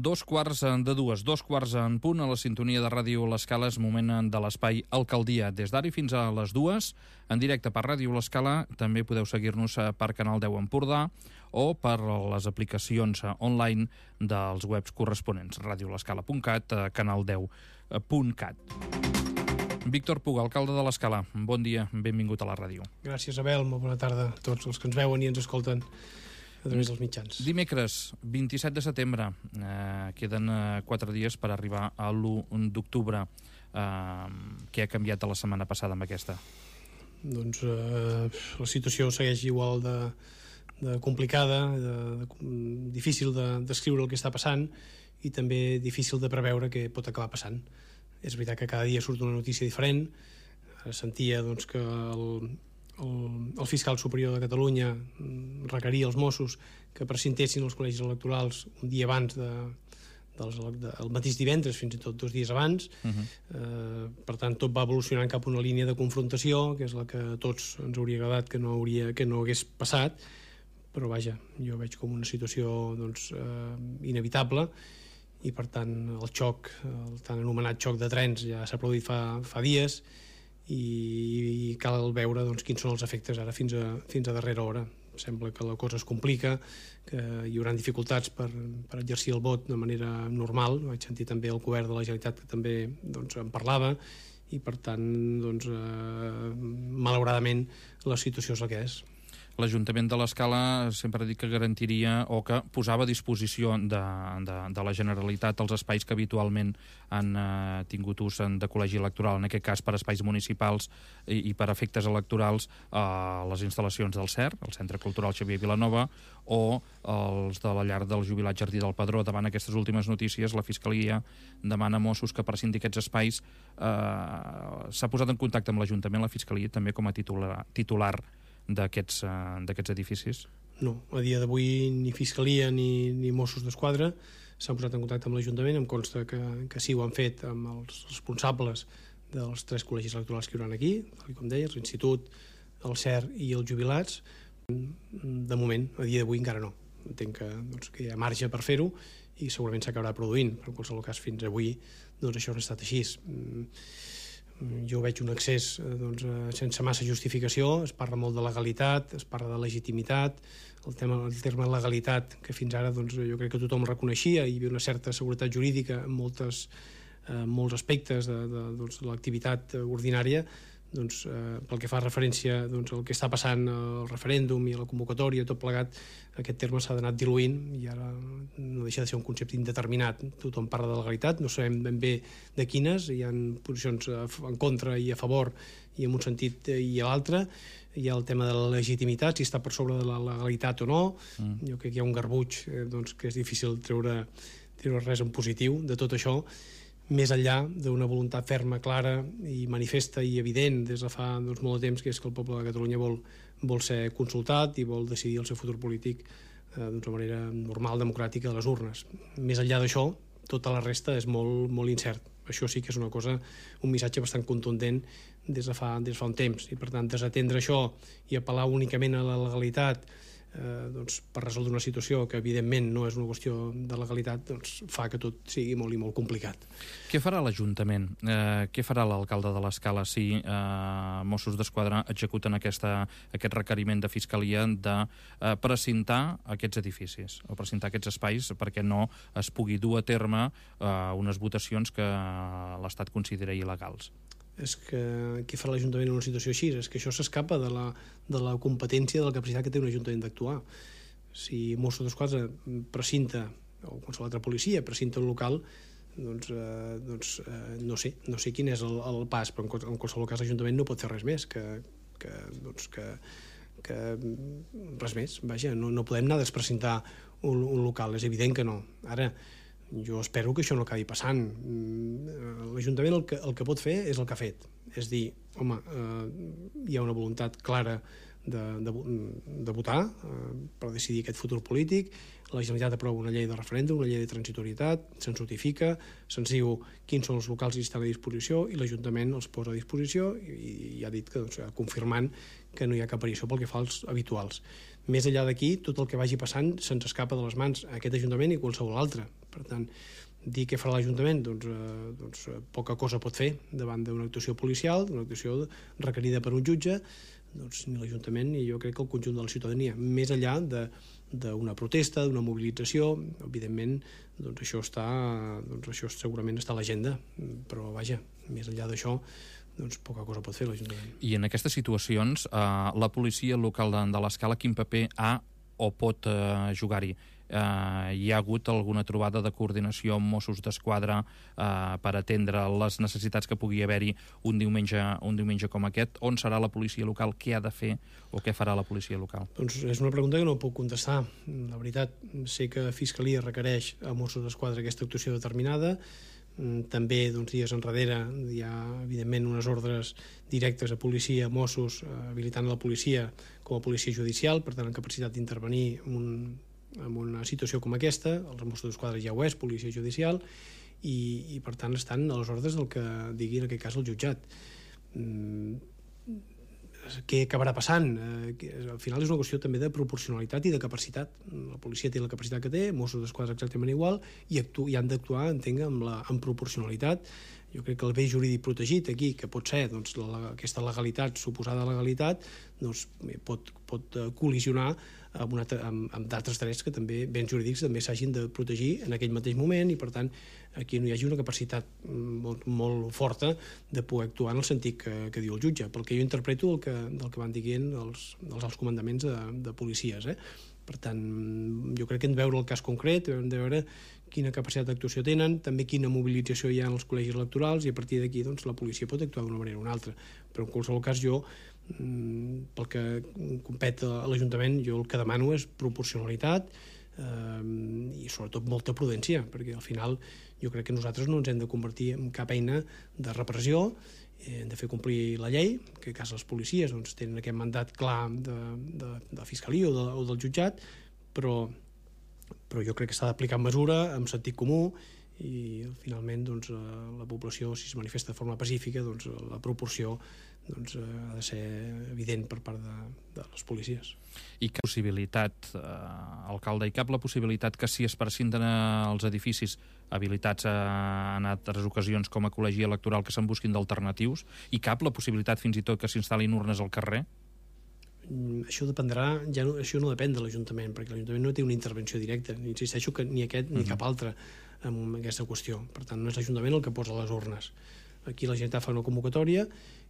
2 quarts en punt, a la sintonia de Ràdio L'Escala. És moment de l'espai Alcaldia. Des d'ara fins a les 2, en directe per Ràdio L'Escala. També podeu seguir-nos per Canal 10 Empordà o per les aplicacions online dels webs corresponents, radiolescala.cat, canal10.cat. Víctor Puga, alcalde de l'Escala, bon dia, benvingut a la ràdio. Gràcies, Abel, molt bona tarda a tots els que ens veuen i ens escolten a través dels mitjans. Dimecres, 27 de setembre, queden 4 dies per arribar a l'1 d'octubre. Què ha canviat de la setmana passada amb aquesta? Doncs la situació segueix igual de complicada, difícil de descriure el que està passant i també difícil de preveure què pot acabar passant. És veritat que cada dia surt una notícia diferent. Sentia doncs, que el fiscal superior de Catalunya requeria als Mossos que presentessin els col·legis electorals un dia abans el mateix divendres, fins i tot 2 dies abans. Per tant, tot va evolucionant cap a una línia de confrontació, que és la que a tots ens hauria agradat que no hagués passat, però vaja, jo veig com una situació doncs, inevitable, i per tant el xoc, el tan anomenat xoc de trens, ja s'ha produït fa dies, i cal veure doncs, quins són els efectes ara fins a darrera hora. Sembla que la cosa es complica, que hi haurà dificultats per exercir el vot de manera normal. Vaig sentir també el govern de la Generalitat que també doncs, en parlava, i per tant doncs, malauradament la situació és la que és. L'Ajuntament de l'Escala sempre ha dit que garantiria o que posava a disposició de la Generalitat els espais que habitualment han tingut ús de col·legi electoral, en aquest cas per espais municipals i per efectes electorals, les instal·lacions del CER, el Centre Cultural Xavier Vilanova, o els de la llar del jubilat Jardí del Pedró. Davant aquestes últimes notícies, la Fiscalia demana a Mossos que prescinti aquests espais. S'ha posat en contacte amb l'Ajuntament, la Fiscalia, també com a titular d'aquests edificis? No, a dia d'avui ni Fiscalia ni Mossos d'Esquadra s'han posat en contacte amb l'Ajuntament. Em consta que sí ho han fet amb els responsables dels 3 col·legis electorals que hi haurà aquí, tal com deies, l'Institut, el CER i els jubilats. De moment, a dia d'avui encara no. Entenc que hi ha marge per fer-ho i segurament s'acabarà produint, però en qualsevol cas fins avui doncs això no ha estat així. Jo veig un accés sense massa justificació. Es parla molt de legalitat, es parla de legitimitat. El terme legalitat, que fins ara jo crec que tothom reconeixia, hi havia una certa seguretat jurídica en molts aspectes de l'activitat ordinària. Pel que fa referència al que està passant al referèndum i a la convocatòria, tot plegat, aquest terme s'ha d'anar diluint i ara no deixa de ser un concepte indeterminat. Tothom parla de legalitat, no sabem ben bé de quines, hi ha posicions en contra i a favor i en un sentit i a l'altre. Hi ha el tema de la legitimitat, si està per sobre de la legalitat o no. Jo crec que hi ha un garbuix que és difícil treure res en positiu de tot això, més enllà d'una voluntat ferma, clara i manifesta i evident des de fa molt de temps, que és que el poble de Catalunya vol ser consultat i vol decidir el seu futur polític de manera normal, democràtica, a les urnes. Més enllà d'això, tota la resta és molt, molt incert. Això sí que és un missatge bastant contundent des de fa un temps, i per tant desatendre això i apel·lar únicament a la legalitat per resoldre una situació que evidentment no és una qüestió de legalitat, fa que tot sigui molt i molt complicat. Què farà l'Ajuntament? Què farà l'alcalde de l'Escala si Mossos d'Esquadra executen aquest requeriment de Fiscalia de precintar aquests edificis o precintar aquests espais perquè no es pugui dur a terme unes votacions que l'Estat considera il·legals? És que què farà l'Ajuntament en una situació així? És que això s'escapa de la competència, de la capacitat que té un Ajuntament d'actuar. Si Mossos d'Esquadra precinta, o qualsevol altra policia precinta un local, no sé quin és el pas, però en qualsevol cas l'Ajuntament no pot fer res més que res més. Vaja, no podem anar a desprecintar un local, és evident que no. Ara, jo espero que això no acabi passant. L'Ajuntament el que pot fer és el que ha fet, és dir, home, hi ha una voluntat clara de votar per decidir aquest futur polític. La Generalitat aprova una llei de referèndum, una llei de transitorietat, se'ns notifica, se'ns diu quins són els locals que estan a disposició i l'Ajuntament els posa a disposició i ha dit que, confirmant que no hi ha cap variació pel que fa als habituals. Més enllà d'aquí, tot el que vagi passant se'ns escapa de les mans a aquest Ajuntament i qualsevol altre. Per tant, dir què farà l'Ajuntament? Doncs poca cosa pot fer davant d'una actuació policial, d'una actuació requerida per un jutge, doncs ni l'Ajuntament ni jo crec que el conjunt de la ciutadania. Més enllà d'una protesta, d'una mobilització, evidentment, això segurament està a l'agenda, però vaja, més enllà d'això, doncs poca cosa pot fer l'Ajuntament. I en aquestes situacions, la policia local de l'Escala, quin paper ha o pot jugar-hi? Hi ha hagut alguna trobada de coordinació amb Mossos d'Esquadra per atendre les necessitats que pugui haver-hi un diumenge com aquest? On serà la policia local? Què ha de fer o què farà la policia local? Doncs és una pregunta que no puc contestar. La veritat, sé que Fiscalia requereix a Mossos d'Esquadra aquesta actuació determinada. També dies enrere hi ha evidentment unes ordres directes a policia, a Mossos, habilitant la policia com a policia judicial, per tant, en capacitat d'intervenir en una situació com aquesta. Els Mossos d'Esquadra ja ho és, policia judicial, i per tant estan a les ordres del que digui en aquest cas el jutjat. Què acabarà passant? Al final és una qüestió també de proporcionalitat i de capacitat. La policia té la capacitat que té, Mossos d'Esquadra exactament igual, i han d'actuar, entenc, amb proporcionalitat. Jo crec que el bé jurídic protegit aquí, que pot ser aquesta legalitat, suposada legalitat, pot col·lisionar amb d'altres drets que també, béns jurídics, també s'hagin de protegir en aquell mateix moment, i per tant aquí no hi hagi una capacitat molt forta de poder actuar en el sentit que diu el jutge, pel que jo interpreto del que van dient els alts comandaments de policies. Per tant, jo crec que hem de veure el cas concret, hem de veure quina capacitat d'actuació tenen, també quina mobilització hi ha en els col·legis electorals, i a partir d'aquí la policia pot actuar d'una manera o una altra. Però en qualsevol cas jo, pel que compet a l'Ajuntament, jo el que demano és proporcionalitat i sobretot molta prudència, perquè al final jo crec que nosaltres no ens hem de convertir en cap eina de repressió, hem de fer complir la llei, que en cas les policies tenen aquest mandat clar de Fiscalia o del jutjat, però jo crec que s'ha d'aplicar amb mesura, amb sentit comú, i finalment la població, si es manifesta de forma pacífica, la proporció ha de ser evident per part de les policies. I cap possibilitat, alcalde, la possibilitat que si es prescinten els edificis habilitats en altres ocasions com a col·legi electoral que se'n busquin d'alternatius, i cap la possibilitat fins i tot que s'instal·lin urnes al carrer? Això dependrà, això no depèn de l'Ajuntament, perquè l'Ajuntament no té una intervenció directa, insisteixo que ni aquest ni cap altre en aquesta qüestió. Per tant, no és l'Ajuntament el que posa les urnes. Aquí la Generalitat fa una convocatòria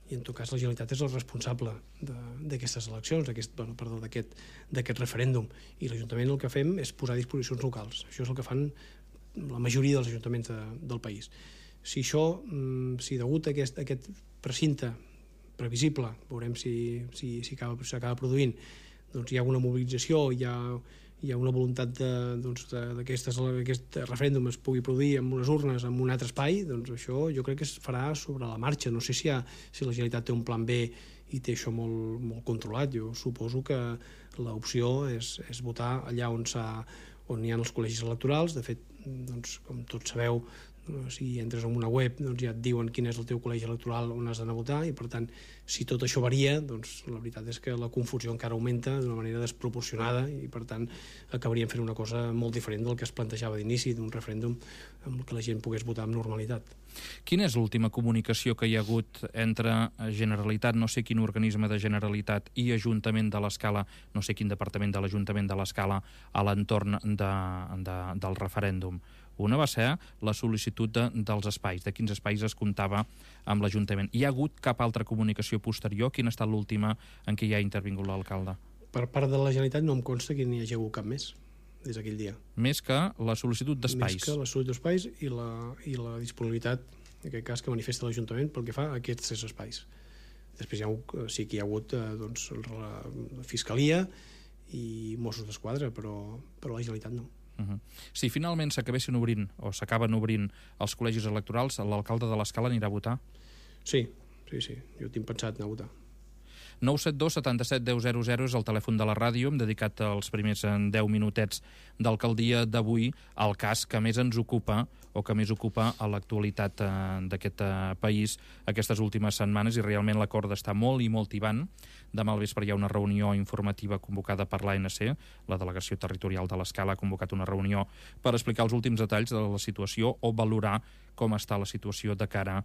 i en tot cas la Generalitat és el responsable d'aquestes eleccions, d'aquest referèndum, i l'Ajuntament el que fem és posar disposicions locals. Això és el que fan la majoria dels ajuntaments del país. Si degut a aquest precinte previsible, veurem si s'acaba produint, hi ha una mobilització, hi ha una voluntat que aquest referèndum es pugui produir amb unes urnes en un altre espai, doncs això jo crec que es farà sobre la marxa. No sé si la Generalitat té un plan B i té això molt controlat. Jo suposo que l'opció és votar allà on hi ha els col·legis electorals. De fet, com tots sabeu, si entres en una web ja et diuen quin és el teu col·legi electoral on has d'anar a votar, i per tant, si tot això varia, la veritat és que la confusió encara augmenta d'una manera desproporcionada, i per tant acabaríem fent una cosa molt diferent del que es plantejava d'inici, d'un referèndum amb què la gent pogués votar amb normalitat. Quina és l'última comunicació que hi ha hagut entre Generalitat, no sé quin organisme de Generalitat, i Ajuntament de l'Escala, no sé quin departament de l'Ajuntament de l'Escala, a l'entorn del referèndum? Una va ser la sol·licitud dels espais, de quins espais es comptava amb l'Ajuntament. Hi ha hagut cap altra comunicació posterior? Quina ha estat l'última en què hi ha intervingut l'alcalde? Per part de la Generalitat no em consta que n'hi hagi hagut cap més des d'aquell dia. Més que la sol·licitud d'espais? Més que la sol·licitud d'espais i la disponibilitat, en aquest cas, que manifesta l'Ajuntament pel que fa a aquests 3 espais. Després sí que hi ha hagut la Fiscalia i Mossos d'Esquadra, però la Generalitat no. Si finalment s'acabessin obrint o s'acaben obrint els col·legis electorals, l'alcalde de l'Escala anirà a votar? Sí, jo tinc pensat anar a votar. 972 77 10 00 és el telèfon de la ràdio. Hem dedicat els primers 10 minutets d'alcaldia d'avui al cas que més ens ocupa o que més ocupa a l'actualitat d'aquest país aquestes últimes setmanes, i realment l'acord està molt i molt tibant. Demà al vespre hi ha una reunió informativa convocada per l'ANC, la Delegació Territorial de l'Escala ha convocat una reunió per explicar els últims detalls de la situació o valorar com està la situació de cara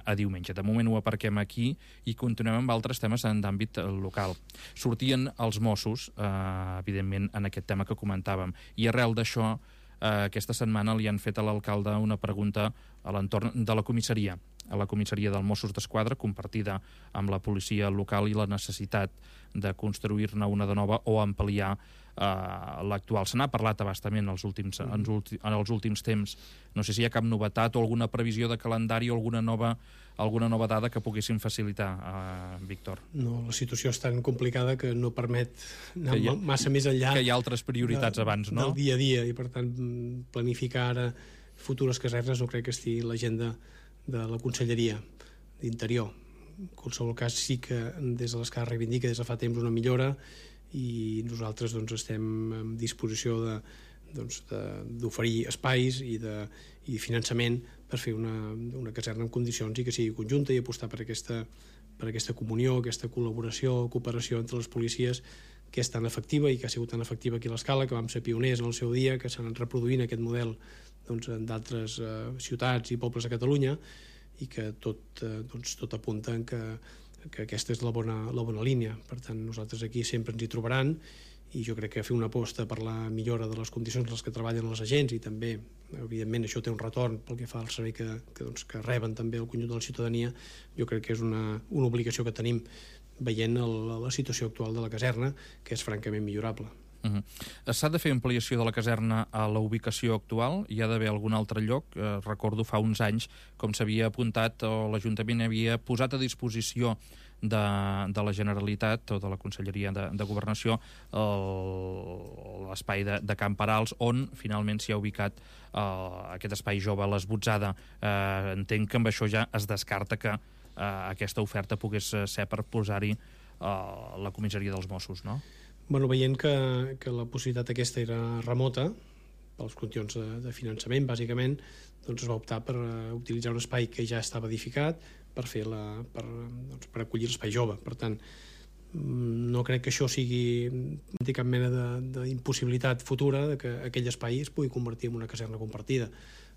a diumenge. De moment ho aparquem aquí i continuem amb altres temes d'àmbit local. Sortien els Mossos, evidentment, en aquest tema que comentàvem, i arrel d'això, aquesta setmana li han fet a l'alcalde una pregunta a l'entorn de la comissaria, a la comissaria del Mossos d'Esquadra, compartida amb la policia local, i la necessitat de construir-ne una de nova o ampliar l'actual. Se n'ha parlat a bastament en els últims temps. No sé si hi ha cap novetat o alguna previsió de calendari o alguna nova dada que poguessin facilitar, Víctor. No, la situació és tan complicada que no permet anar massa més enllà. Que hi ha altres prioritats abans, no? Del dia a dia, i per tant planificar ara futures casernes no crec que estigui a l'agenda de la Conselleria d'Interior. En qualsevol cas, sí que des de l'Escala reivindica des de fa temps una millora, i nosaltres estem en disposició d'oferir espais i finançament per fer una caserna en condicions i que sigui conjunta, i apostar per aquesta comunió, aquesta col·laboració, cooperació entre les policies, que és tan efectiva i que ha sigut tan efectiva aquí a l'Escala, que vam ser pioners en el seu dia, que s'han reproduint aquest model en d'altres ciutats i pobles de Catalunya, i que tot apunta en que aquesta és la bona línia. Per tant, nosaltres aquí sempre ens hi trobaran, i jo crec que fer una aposta per la millora de les condicions en les que treballen els agents, i també, evidentment, això té un retorn pel que fa al servei que reben també el conjunt de la ciutadania, jo crec que és una obligació que tenim veient la situació actual de la caserna, que és francament millorable. S'ha de fer ampliació de la caserna a la ubicació actual? Hi ha d'haver algun altre lloc? Recordo fa uns anys com s'havia apuntat, o l'Ajuntament havia posat a disposició de la Generalitat o de la Conselleria de Governació l'espai de Can Parals, on finalment s'hi ha ubicat aquest espai jove, l'Esbotzada. Entenc que amb això ja es descarta que aquesta oferta pogués ser per posar-hi la comissaria dels Mossos, no? Bueno, veient que la possibilitat aquesta era remota, pels qüestions de finançament, bàsicament, es va optar per utilitzar un espai que ja estava edificat per acollir l'espai jove. Per tant, no crec que això sigui cap mena d'impossibilitat futura de que aquell espai es pugui convertir en una caserna compartida.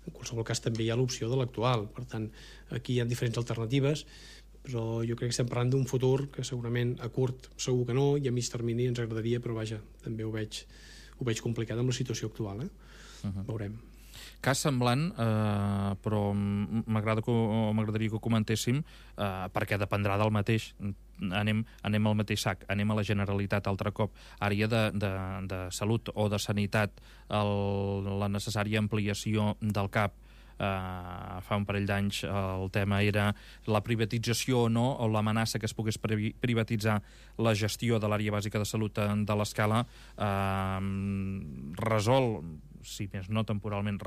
En qualsevol cas, també hi ha l'opció de l'actual. Per tant, aquí hi ha diferents alternatives, però jo crec que estem parlant d'un futur que segurament a curt segur que no, i a mig termini ens agradaria, però vaja, també ho veig complicat amb la situació actual. Veurem. Cas semblant, però m'agradaria que ho comentéssim, perquè dependrà del mateix. Anem al mateix sac, anem a la Generalitat altre cop. Àrea de Salut o de Sanitat, la necessària ampliació del CAP. Fa un parell d'anys el tema era la privatització o no, o l'amenaça que es pogués privatitzar la gestió de l'àrea bàsica de salut de l'Escala. Resol, si més no temporalment,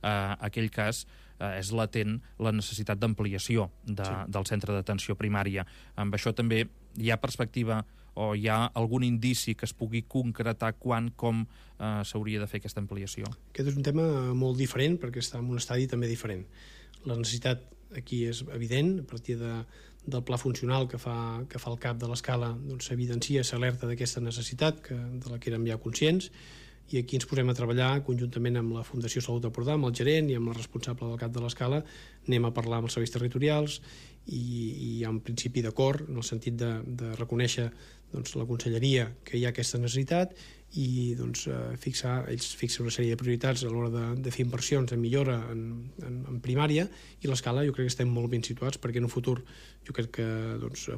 aquell cas. És latent la necessitat d'ampliació del centre d'atenció primària. Amb això també hi ha perspectiva o hi ha algun indici que es pugui concretar quan, com s'hauria de fer aquesta ampliació? Aquest és un tema molt diferent, perquè està en un estadi també diferent. La necessitat aquí és evident, a partir del pla funcional que fa el CAP de l'Escala, s'evidencia, s'alerta d'aquesta necessitat, de la que érem ja conscients, i aquí ens posem a treballar conjuntament amb la Fundació Salut d'Empordà, amb el gerent i amb la responsable del CAP de l'Escala. Anem a parlar amb els serveis territorials i hi ha un principi d'acord en el sentit de reconèixer la Conselleria que hi ha aquesta necessitat i ells fixen una sèrie de prioritats a l'hora de fer inversions de millora en primària, i l'Escala jo crec que estem molt ben situats perquè en un futur jo crec que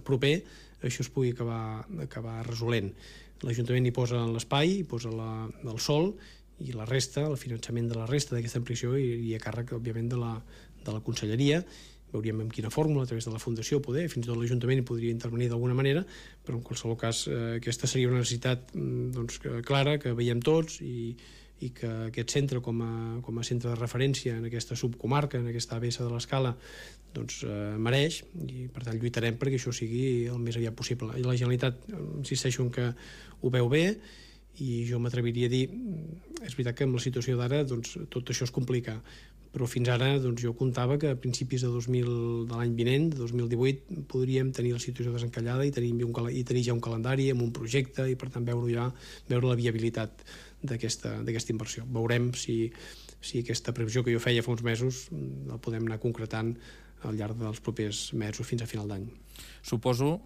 proper això es pugui acabar resolent. L'Ajuntament hi posa l'espai, hi posa el sòl, i la resta, el finançament de la resta d'aquesta ampliació i a càrrec, òbviament, de la Conselleria. Veuríem amb quina fórmula, a través de la Fundació, fins i tot l'Ajuntament hi podria intervenir d'alguna manera, però en qualsevol cas aquesta seria una necessitat clara, que veiem tots, i i que aquest centre com a centre de referència en aquesta subcomarca, en aquesta ABS de l'Escala, doncs mereix, i per tant lluitarem perquè això sigui el més aviat possible. I la Generalitat, insisteixo en que ho veu bé, i jo m'atreviria a dir, és veritat que amb la situació d'ara doncs, tot això es complica, però fins ara doncs, jo comptava que a principis de l'any vinent, de 2018, podríem tenir la situació desencallada i tenir ja un calendari amb un projecte i per tant veure la viabilitat d'aquesta inversió. Veurem si aquesta previsió que jo feia fa uns mesos la podem anar concretant al llarg dels propers mesos fins a final d'any. Suposo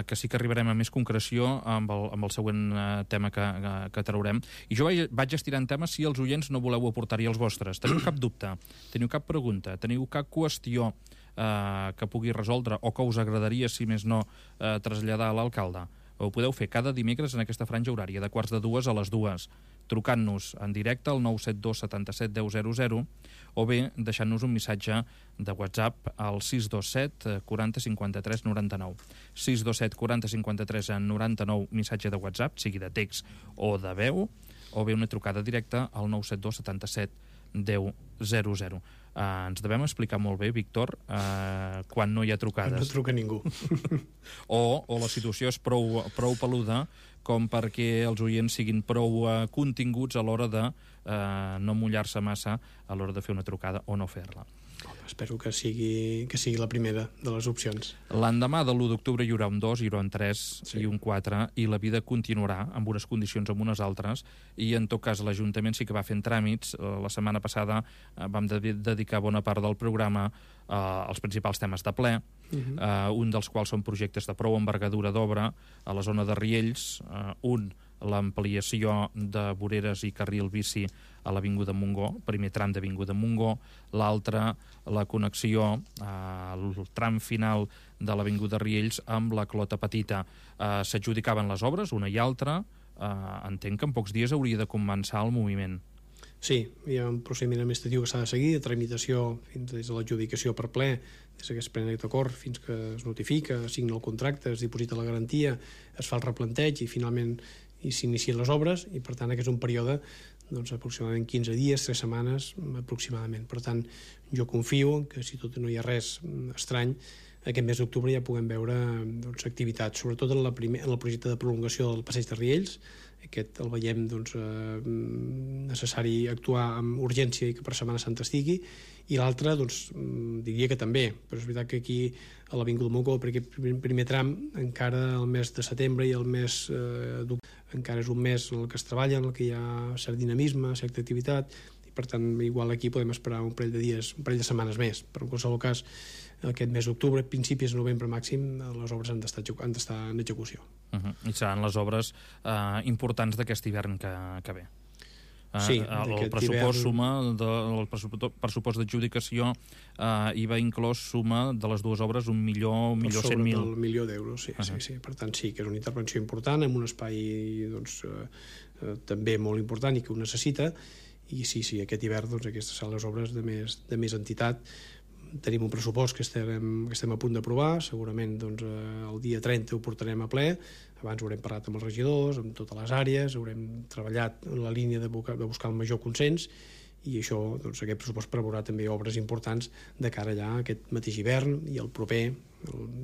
que sí que arribarem a més concreció amb el següent tema que traurem. I jo vaig estirant temes si els oients no voleu aportar-hi els vostres. Teniu cap dubte? Teniu cap pregunta? Teniu cap qüestió que pugui resoldre o que us agradaria, si més no, traslladar a l'alcalde? Ho podeu fer cada dimecres en aquesta franja horària, de 1:45 a les 2, trucant-nos en directe al 972 77 10 00 o bé deixant-nos un missatge de WhatsApp al 627 40 53 99. 627 40 53 99, missatge de WhatsApp, sigui de text o de veu, o bé una trucada directa al 972 77 10 00. Ens devem explicar molt bé, Víctor, quan no hi ha trucades. No truca ningú. O la situació és prou peluda com perquè els oients siguin prou continguts a l'hora de no mullar-se massa a l'hora de fer una trucada o no fer-la. Espero que sigui la primera de les opcions. L'endemà de l'1 d'octubre hi haurà un 2, hi haurà un 3 i un 4, i la vida continuarà amb unes condicions amb unes altres, i en tot cas l'Ajuntament sí que va fent tràmits. La setmana passada vam dedicar bona part del programa als principals temes de ple, un dels quals són projectes de prou envergadura d'obra a la zona de Riells, l'ampliació de voreres i carril bici a l'Avinguda Montgó, primer tram d'Avinguda Montgó, l'altre la connexió al tram final de l'Avinguda Riells amb la Clota Petita. S'adjudicaven les obres, una i altra. Entenc que en pocs dies hauria de començar el moviment. Sí, hi ha un procediment administratiu que s'ha de seguir, de tramitació fins des de l'adjudicació per ple, des que es pren aquest acord fins que es notifica, es signa el contracte, es diposita la garantia, es fa el replanteig i finalment s'inicien les obres, i per tant aquest és un període doncs, aproximadament 15 dies, 3 setmanes aproximadament. Per tant, jo confio que si tot no hi ha res estrany, aquest mes d'octubre ja puguem veure doncs, activitats, sobretot en el projecte de prolongació del passeig de Riells. Aquest el veiem doncs, necessari actuar amb urgència i que per Setmana Santa estigui, i l'altre doncs, diria que també, però és veritat que aquí a l'Avinguda Montgó, perquè aquest primer tram encara el mes de setembre i el mes d'octubre encara és un mes en el que es treballa, en el que hi ha cert dinamisme, certa activitat, i per tant igual aquí podem esperar un parell de dies, un parell de setmanes més, però en qualsevol cas aquest mes d'octubre, principis de novembre màxim, les obres han d'estar en execució. I seran les obres importants d'aquest hivern que ve. Sí, el pressupost suma el pressupost d'adjudicació IVA inclòs suma de les dues obres 1.100.000. Sobre del milió d'euros, sí, sí. Per tant sí que és una intervenció important en un espai doncs, també molt important i que ho necessita, i sí, aquest hivern doncs, aquestes seran les obres de més entitat. Tenim un pressupost que estem a punt d'aprovar, segurament doncs, el dia 30 ho portarem a ple. Abans haurem parlat amb els regidors, amb totes les àrees, haurem treballat en la línia de buscar el major consens, i això, doncs, aquest pressupost preveurà també obres importants de cara ja a aquest mateix hivern i el proper.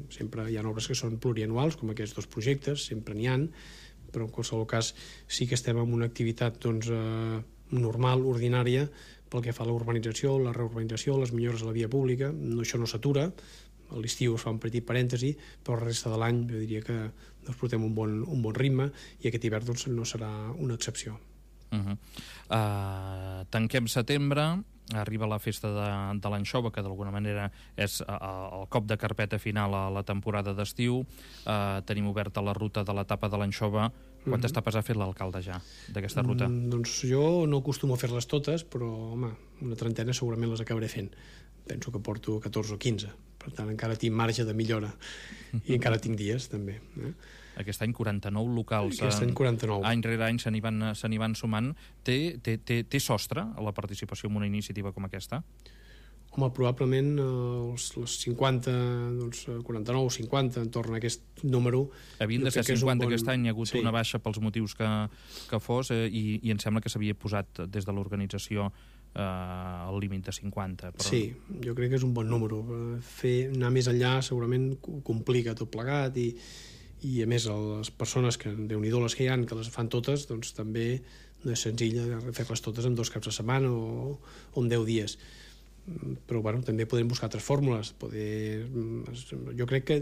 Sempre hi ha obres que són plurianuals, com aquests dos projectes, sempre n'hi ha, però en qualsevol cas sí que estem en una activitat doncs, normal, ordinària, pel que fa a la urbanització, la reurbanització, les millores a la via pública. Això no s'atura, a l'estiu es fa un petit parèntesi, però la resta de l'any jo diria que doncs, portem un bon ritme, i aquest hivern doncs, no serà una excepció. Tanquem setembre, arriba la festa de l'anxova, que d'alguna manera és el cop de carpeta final a la temporada d'estiu. Tenim oberta la ruta de l'etapa de l'anxova. Quantes etapes ha fet l'alcalde ja d'aquesta ruta? Doncs jo no acostumo a fer-les totes, però home, una trentena segurament les acabaré fent. Penso que porto 14 o 15, per tant encara tinc marge de millora, i encara tinc dies també. Aquest any 49 locals. Aquest any 49. Any rere any se n'hi van sumant. Té sostre a la participació en una iniciativa com aquesta? Home, probablement les 50, doncs 49 o 50, entorn a aquest número. Havien de ser 50 aquest any, hi ha hagut una baixa pels motius que fos, i em sembla que s'havia posat des de l'organització el límit de 50. Però... Sí, jo crec que és un bon número. Anar més enllà segurament complica tot plegat i a més les persones que, Déu-n'hi-do les que hi ha, que les fan totes, doncs també no és senzill fer-les totes en 2 caps de setmana o en 10 dies. Però bueno, també podem buscar altres fórmules. Jo crec que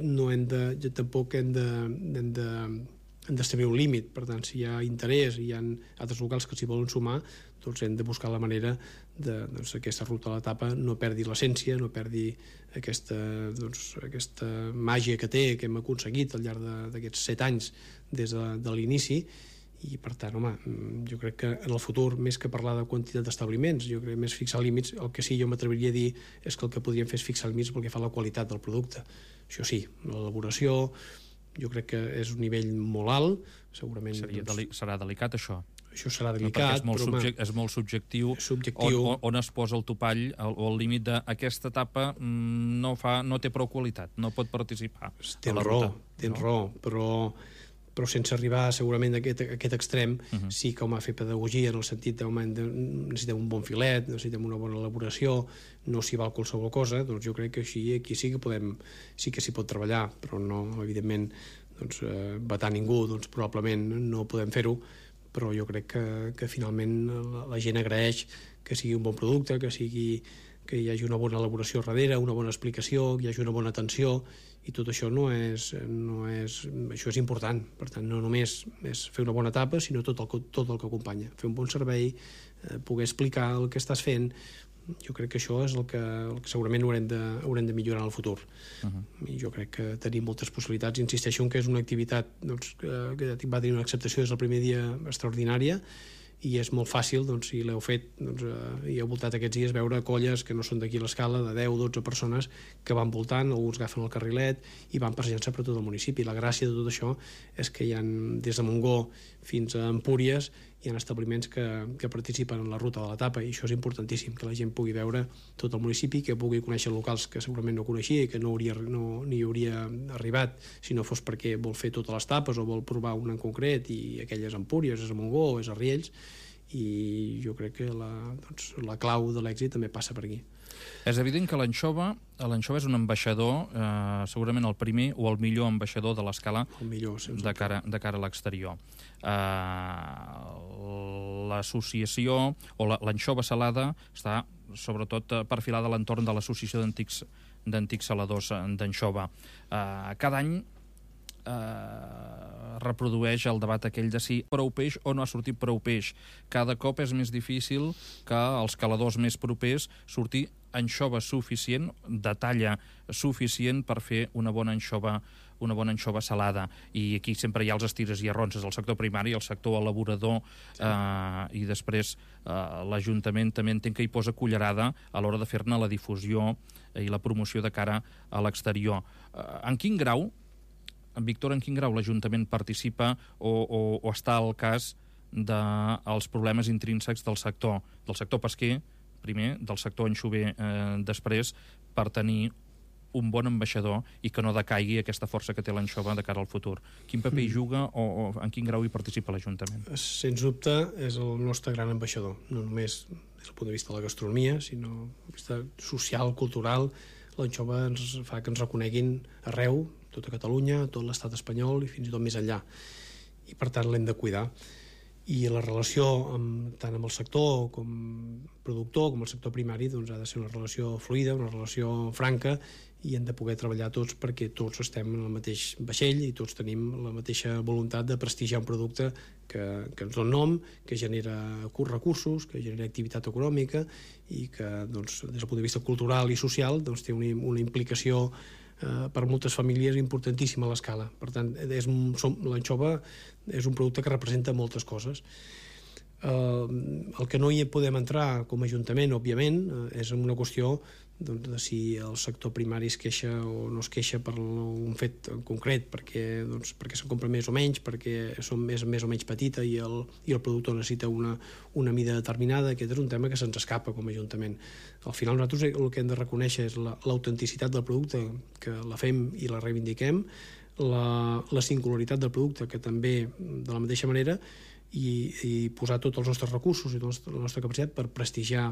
tampoc hem d'establir un límit. Per tant, si hi ha interès i hi ha altres locals que s'hi volen sumar, doncs hem de buscar la manera de aquesta ruta a l'etapa no perdi l'essència, no perdi aquesta màgia que té, que hem aconseguit al llarg d'aquests 7 anys des de l'inici. I per tant, home, jo crec que en el futur, més que parlar de quantitat d'establiments, jo crec més fixar límits, el que sí jo m'atreviria a dir és que el que podríem fer és fixar límits pel que fa a la qualitat del producte. Això sí, l'elaboració jo crec que és un nivell molt alt, segurament... Serà delicat, això? Això serà delicat, és molt subjectiu. On es posa el topall o el límit d'aquesta etapa no té prou qualitat, no pot participar. Tens raó, però sense arribar segurament a aquest extrem, sí que home, fer pedagogia en el sentit de necessitem un bon filet, necessitem una bona elaboració, no s'hi val qualsevol cosa, doncs jo crec que aquí sí que s'hi pot treballar, però no, evidentment, vetar ningú, doncs probablement no podem fer-ho, però jo crec que finalment la gent agraeix que sigui un bon producte, que hi hagi una bona elaboració darrere, una bona explicació, que hi hagi una bona atenció, i tot això això és important. Per tant, no només és fer una bona etapa, sinó tot el que acompanya. Fer un bon servei, poder explicar el que estàs fent, jo crec que això és el que segurament haurem de millorar en el futur. I jo crec que tenim moltes possibilitats. Insisteixo que és una activitat que va tenir una acceptació des del primer dia extraordinària, i és molt fàcil, si l'heu fet i heu voltat aquests dies, veure colles que no són d'aquí a l'escala, de 10 o 12 persones que van voltant, alguns agafen el carrilet i van passejant-se per tot el municipi. La gràcia de tot això és que hi ha des de Montgó fins a Empúries hi ha establiments que participen en la ruta de l'etapa, i això és importantíssim, que la gent pugui veure tot el municipi, que pugui conèixer locals que segurament no coneixia i que no hi hauria arribat si no fos perquè vol fer totes les tapes o vol provar una en concret, i aquelles Empúries, és a Montgó, és a Riells, i jo crec que la clau de l'èxit també passa per aquí. És evident que l'anxova és un ambaixador, segurament el primer o el millor ambaixador de l'escala de cara a l'exterior. L'associació o l'anxova salada està sobretot perfilada a l'entorn de l'associació d'antics saladors d'anxova. Cada any reprodueix el debat aquell de si prou peix o no ha sortit prou peix. Cada cop és més difícil que els caladors més propers sortir anxova suficient, de talla suficient per fer una bona anxova salada. I aquí sempre hi ha els estires i arronses, el sector primari, el sector elaborador, i després l'Ajuntament també entenc que hi posa cullerada a l'hora de fer-ne la difusió i la promoció de cara a l'exterior. En quin grau, Víctor, l'Ajuntament participa o està al cas dels problemes intrínsecs del sector pesquer, primer, del sector anxover després, per tenir un bon ambaixador i que no decaigui aquesta força que té l'anxova de cara al futur? Quin paper hi juga o en quin grau hi participa l'Ajuntament? Sens dubte és el nostre gran ambaixador, no només des del punt de vista de la gastronomia, sinó des del punt de vista social, cultural. L'anxova ens fa que ens reconeguin arreu, tota Catalunya, tot l'estat espanyol i fins i tot més enllà. I per tant l'hem de cuidar. I la relació tant amb el sector com productor com el sector primari ha de ser una relació fluida, una relació franca, i hem de poder treballar tots perquè tots estem en el mateix vaixell i tots tenim la mateixa voluntat de prestigiar un producte que ens dona nom, que genera recursos, que genera activitat econòmica i que des del punt de vista cultural i social té una implicació per moltes famílies importantíssima a l'escala. Per tant, l'anxova és un producte que representa moltes coses. El que no hi podem entrar com a Ajuntament, òbviament, és en una qüestió de si el sector primari es queixa o no es queixa per un fet en concret, perquè se'n compra més o menys, perquè són més o menys petita i el productor necessita una mida determinada. Aquest és un tema que se'ns escapa com a Ajuntament. Al final nosaltres el que hem de reconèixer és l'autenticitat del producte, que la fem i la reivindiquem, la singularitat del producte, que també de la mateixa manera, i posar tots els nostres recursos i tota la nostra capacitat per prestigiar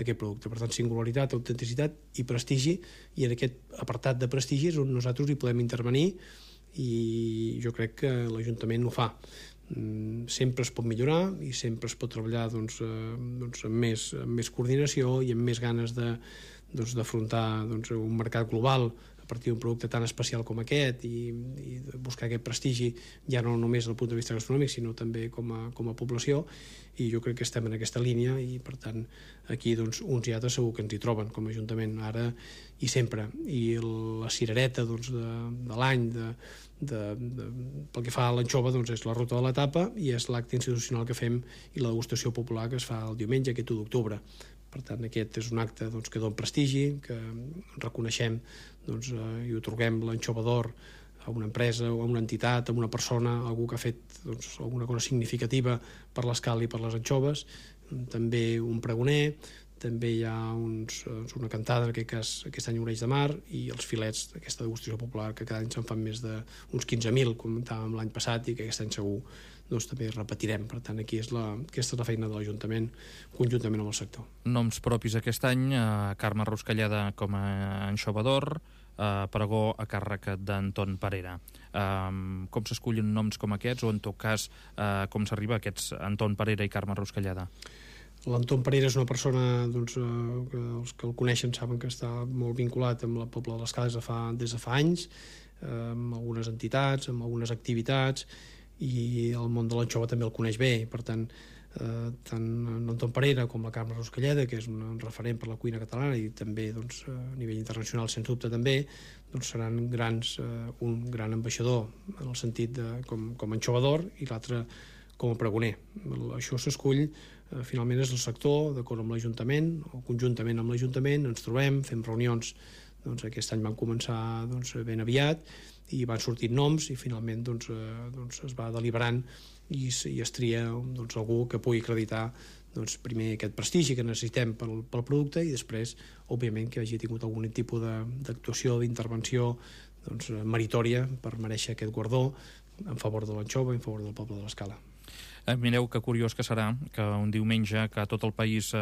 aquest producte. Per tant, singularitat, autenticitat i prestigi, i en aquest apartat de prestigi és on nosaltres hi podem intervenir, i jo crec que l'Ajuntament ho fa. Sempre es pot millorar i sempre es pot treballar amb més coordinació i amb més ganes d'afrontar un mercat global a partir d'un producte tan especial com aquest, i buscar aquest prestigi ja no només des del punt de vista gastronòmic sinó també com a població. I jo crec que estem en aquesta línia, i per tant aquí uns i altres segur que ens hi troben com a Ajuntament ara i sempre. I la cirereta de l'any pel que fa a l'anxova és la ruta de l'etapa i és l'acte institucional que fem i la degustació popular que es fa el diumenge, aquest 1 d'octubre. Per tant, aquest és un acte que dona prestigi, que reconeixem i otorguem l'anxova d'or a una empresa o a una entitat, a una persona, algú que ha fet alguna cosa significativa per l'escala i per les anxoves. També un pregoner, també hi ha una cantada, en aquest cas aquest any Oreig de Mar, i els filets d'aquesta degustació popular, que cada any se'n fan més d'uns 15.000, com comentàvem l'any passat, i que aquest any segur també repetirem. Per tant, aquí aquesta és la feina de l'Ajuntament conjuntament amb el sector. Noms propis aquest any: Carme Ruscalleda com a anxova d'or, pregó a càrrec d'Anton Parera. Com s'escullen noms com aquests, o en tot cas com s'arriba a aquests Anton Parera i Carme Ruscalleda? L'Anton Parera és una persona que els que el coneixen saben que està molt vinculat amb el poble de l'Escala des de fa anys, amb algunes entitats, amb algunes activitats, i el món de l'anxova també el coneix bé. Per tant, tant l'Anton Parera com la Carme Ruscalleda, que és un referent per la cuina catalana i també a nivell internacional, sens dubte també, seran un gran ambaixador en el sentit com a anxova d'or i l'altre com a pregoner. Això s'escull, finalment és el sector, d'acord amb l'Ajuntament o conjuntament amb l'Ajuntament, ens trobem, fem reunions. Aquest any van començar ben aviat i van sortir noms i finalment es va deliberant i es tria algú que pugui acreditar primer aquest prestigi que necessitem pel producte, i després, òbviament, que hagi tingut algun tipus d'actuació, d'intervenció meritòria per mereixer aquest guardó en favor de l'anxova i en favor del poble de l'Escala. Mireu que curiós que serà que un diumenge que tot el país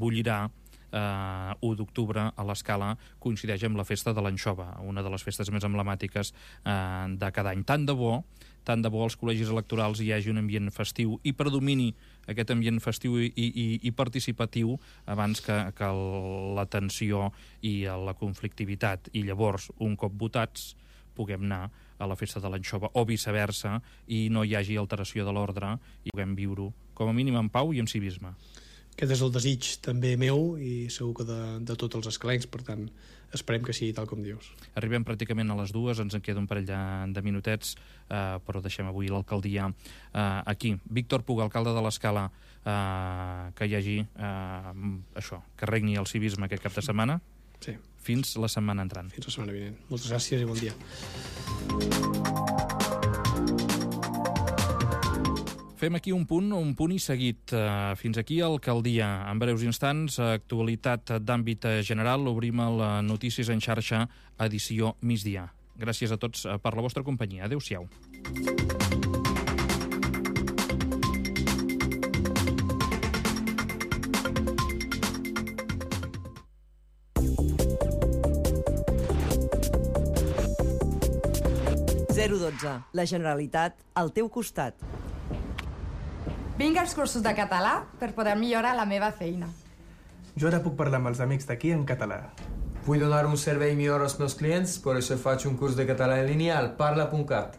bullirà, 1 d'octubre, a l'Escala, coincideix amb la festa de l'anxova, una de les festes més emblemàtiques de cada any. Tant de bo als col·legis electorals hi hagi un ambient festiu i predomini aquest ambient festiu i participatiu abans que la tensió i la conflictivitat, i llavors, un cop votats, puguem anar a la festa de l'anxova, o viceversa, i no hi hagi alteració de l'ordre i puguem viure-ho com a mínim en pau i en civisme. Aquest és el desig també meu i segur que de tots els escalencs, per tant, esperem que sigui tal com dius. Arribem pràcticament a les 2, ens en queda un parell de minutets, però deixem avui l'alcaldia aquí. Víctor Puga, alcalde de l'Escala, que hi hagi això, que regni el civisme aquest cap de setmana. Sí. Fins la setmana entrant. Fins la setmana vinent. Moltes gràcies i bon dia. Fem aquí un punt i seguit. Fins aquí Alcaldia. En breus instants, actualitat d'àmbit general. Obrim el Notícies en xarxa, edició migdia. Gràcies a tots per la vostra companyia. Adéu-siau. La Generalitat al teu costat. Vinc als cursos de català per poder millorar la meva feina. Jo ara puc parlar amb els amics d'aquí en català. Vull donar un servei millor als meus clients, per això faig un curs de català en línia al Parla.cat.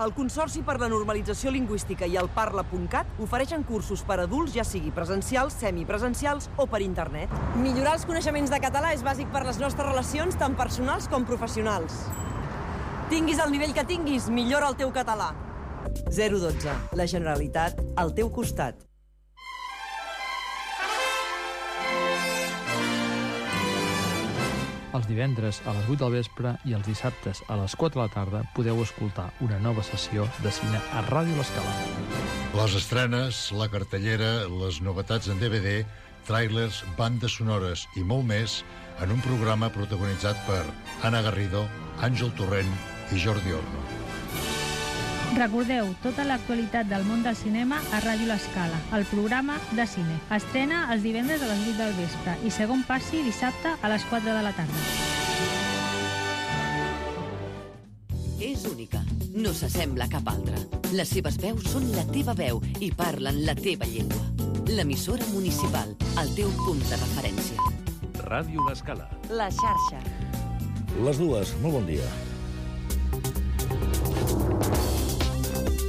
El Consorci per la Normalització Lingüística i el Parla.cat ofereixen cursos per a adults, ja sigui presencials, semipresencials o per internet. Millorar els coneixements de català és bàsic per les nostres relacions, tant personals com professionals. Tinguis el nivell que tinguis, millora el teu català. 012. La Generalitat al teu costat. Els divendres a les 8 del vespre i els dissabtes a les 4 de la tarda podeu escoltar una nova sessió de cine a Ràdio L'Escala. Les estrenes, la cartellera, les novetats en DVD, tràilers, bandes sonores i molt més en un programa protagonitzat per Anna Garrido, Àngel Torrent i Jordi Orno. Recordeu tota l'actualitat del món del cinema a Ràdio L'Escala, el programa de cine. Estrena els divendres a les 8 del vespre i segon passi dissabte a les 4 de la tarda. És única, no s'assembla a cap altra. Les seves veus són la teva veu i parlen la teva llengua. L'emissora municipal, el teu punt de referència. Ràdio L'Escala. La xarxa. Les dues, molt bon dia.